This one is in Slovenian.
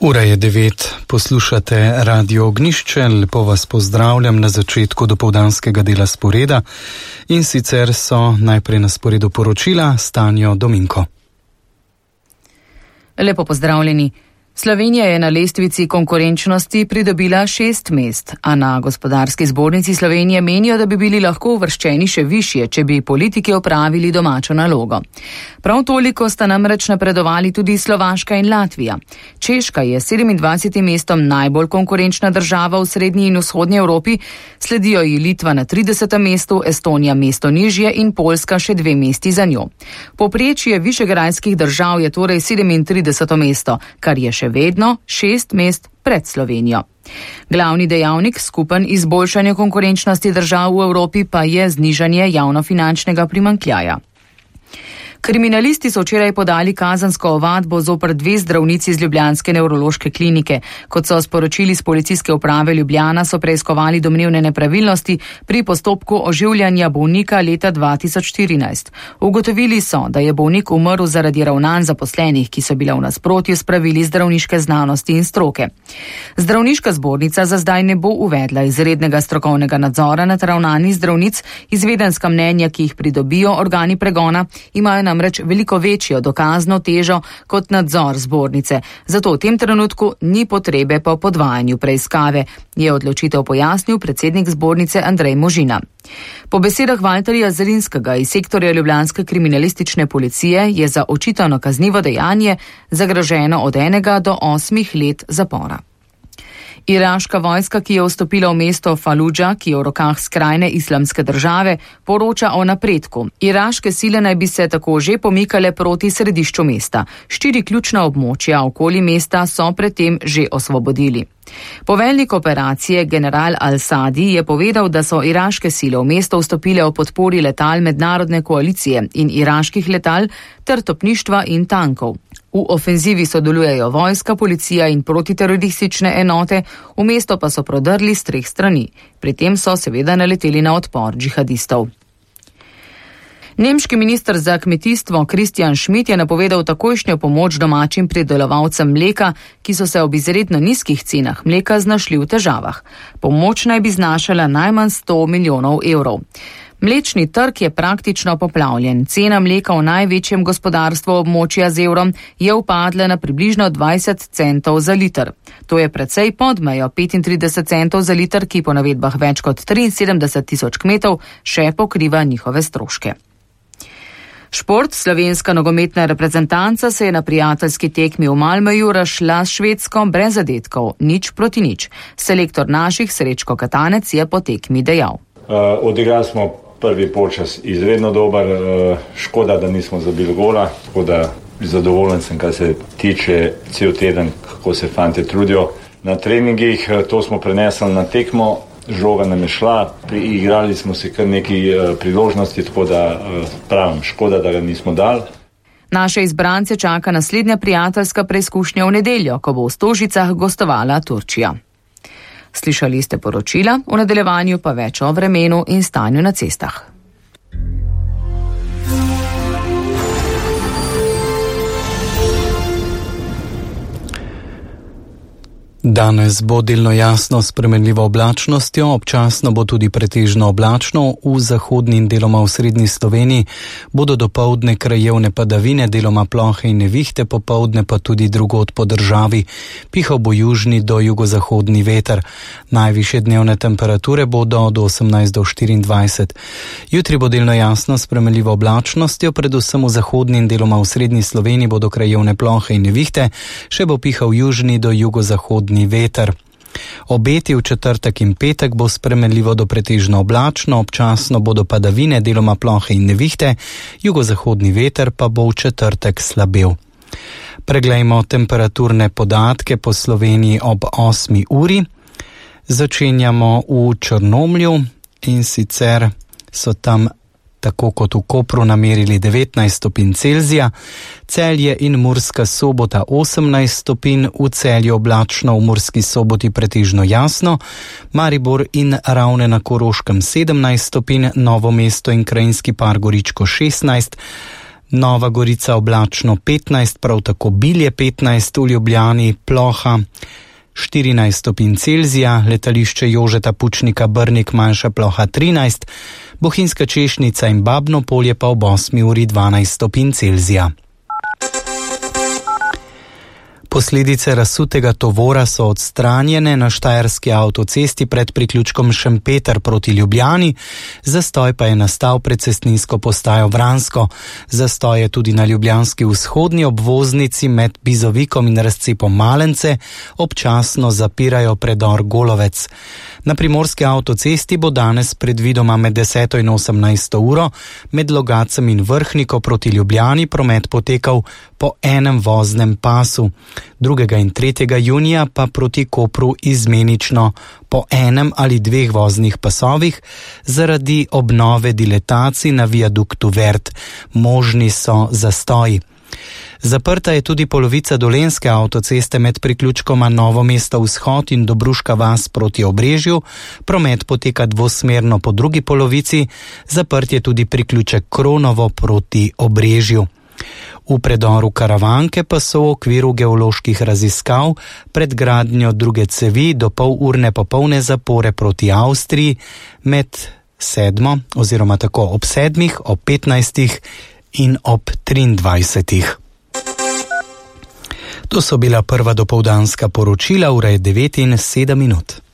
Ura je 9, poslušate Radio Ognjišče, lepo vas pozdravljam na začetku dopoldanskega dela sporeda in sicer so najprej na sporedu poročila s Tanjo Dominko. Lepo pozdravljeni. Slovenija je na lestvici konkurenčnosti pridobila 6 mest, a na Gospodarski zbornici Slovenije menijo, da bi bili lahko uvrščeni še višje, če bi politiki opravili domačo nalogo. Prav toliko sta namreč napredovali tudi Slovaška in Latvija. Češka je 27. mestom najbolj konkurenčna država v srednji in vzhodnji Evropi, sledijo ji Litva na 30. mestu, Estonija mesto nižje in Poljska še 2 mesti za njo. Povprečje višegrajskih držav je torej 37. mesto, kar je še vedno 6 mest pred Slovenijo. Glavni dejavnik skupen izboljšanja konkurenčnosti držav v Evropi pa je znižanje javnofinančnega primanjkljaja. Kriminalisti so včeraj podali kazensko ovadbo zoper 2 zdravnici z ljubljanske nevrološke klinike. Kot so sporočili z policijske uprave Ljubljana, so preiskovali domnevne nepravilnosti pri postopku oživljanja bolnika leta 2014. Ugotovili so, da je bolnik umrl zaradi ravnanj zaposlenih, ki so bile v nasprotju s pravili zdravniške znanosti in stroke. Zdravniška zbornica za zdaj ne bo uvedla izrednega strokovnega nadzora nad ravnanji zdravnic, izvedenska mnenja, ki jih pridobijo organi pregona, imajo namreč veliko večjo dokazno težo kot nadzor zbornice. Zato v tem trenutku ni potrebe po podvajanju preiskave, je odločitev pojasnil predsednik zbornice Andrej Možina. Po besedah Valterja Zrinskega iz sektorja ljubljanske kriminalistične policije je za očitano kaznivo dejanje zagroženo od 1 do 8 let zapora. Iraška vojska, ki je vstopila v mesto Faludža, ki je v rokah skrajne islamske države, poroča o napredku. Iraške sile naj bi se tako že pomikale proti središču mesta. 4 ključna območja okoli mesta so predtem že osvobodili. Poveljnik operacije general Al-Sadi je povedal, da so iraške sile v mesto vstopile o podpori letal mednarodne koalicije in iraških letal ter topništva in tankov. V ofenzivi sodelujejo vojska, policija in protiteroristične enote, v mesto pa so prodrli s 3 strani. Pri tem so seveda naleteli na odpor džihadistov. Nemški minister za kmetijstvo Christian Schmidt je napovedal takojšnjo pomoč domačim pridelovalcem mleka, ki so se ob izredno nizkih cenah mleka znašli v težavah. Pomoč naj bi znašala najmanj 100 milijonov evrov. Mlečni trg je praktično poplavljen. Cena mleka v največjem gospodarstvu območja z evrom je upadla na približno 20 centov za liter. To je precej pod mejo 35 centov za liter, ki po navedbah več kot 73 tisoč kmetov še pokriva njihove stroške. Šport. Slovenska nogometna reprezentanca se je na prijateljski tekmi v Malmöju razšla s Švedsko brez zadetkov, 0-0. Selektor naših Srečko Katanec je po tekmi dejal. Odigrali smo prvi polčas izredno dober, škoda, da nismo zabili gola, tako da zadovoljen sem, kar se tiče cel teden, kako se fante trudijo na treningih. To smo prenesli na tekmo, žoga nam je šla, igrali smo se kar nekaj priložnosti, tako da pravim, škoda, da ga nismo dali. Naše izbrance čaka naslednja prijateljska preizkušnja v nedeljo, ko bo v Stožicah gostovala Turčija. Slišali ste poročila, v nadaljevanju pa več o vremenu in stanju na cestah. Danes bo delno jasno s spremenljivo oblačnostjo, občasno bo tudi pretežno oblačno, v zahodni in deloma v srednji Sloveniji bodo dopoldne krajevne padavine, deloma plohe in nevihte, popoldne pa tudi drugod po državi. Pihal bo južni do jugozahodni veter. Najvišje dnevne temperature bodo od 18 do 24. Jutri bo delno jasno s spremenljivo oblačnostjo, predvsem v zahodni in deloma v srednji Sloveniji bodo krajevne plohe in nevihte, še bo pihal južni do jugozahodni veter. Obeti v četrtek in petek bo spremenljivo do pretežno oblačno, občasno bodo padavine, deloma plohe in nevihte, jugozahodni veter pa bo v četrtek slabel. Preglejmo temperaturne podatke po Sloveniji ob 8 uri. Začenjamo v Črnomlju in sicer so tam tako kot v Kopru namerili 19 stopinj Celzija, Celje in Murska Sobota 18 stopinj, v Celju oblačno, v Murski Soboti pretežno jasno, Maribor in Ravne na Koroškem 17 stopinj, Novo mesto in Krajinski par Goričko 16, Nova Gorica oblačno 15, prav tako Bilje 15, v Ljubljani ploha 14 stopinj Celzija, letališče Jožeta Pučnika Brnik manjša ploha 13, Bohinjska Češnica in Babno Polje pa ob 8 uri 12 stopinj Celzija. Posledice razsutega tovora so odstranjene na štajerski avtocesti pred priključkom Šempeter proti Ljubljani, zastoj pa je nastal pred cestninsko postajo Vransko. Zastoj je tudi na ljubljanski vzhodni obvoznici med Bizovikom in razcepom Malence, občasno zapirajo predor Golovec. Na primorski avtocesti bo danes predvidoma med 10. in 18. uro med Logacem in Vrhniko proti Ljubljani promet potekal po enem voznem pasu. 2. in 3. junija pa proti Kopru izmenično po enem ali dveh voznih pasovih zaradi obnove diletacij na viaduktu Vert. Možni so zastoji. Zaprta je tudi polovica dolenjske avtoceste med priključkoma Novo mesto vzhod in Dobruška vas proti Obrežju. Promet poteka dvosmerno po drugi polovici, zaprt je tudi priključek Kronovo proti Obrežju. V predoru Karavanke pa so v okviru geoloških raziskav pred gradnjo druge cevi do polurne popolne zapore proti Avstriji med 7. oziroma tako ob 7., ob 15. in ob 23. To so bila prva dopoldanska poročila, ura je 9:07.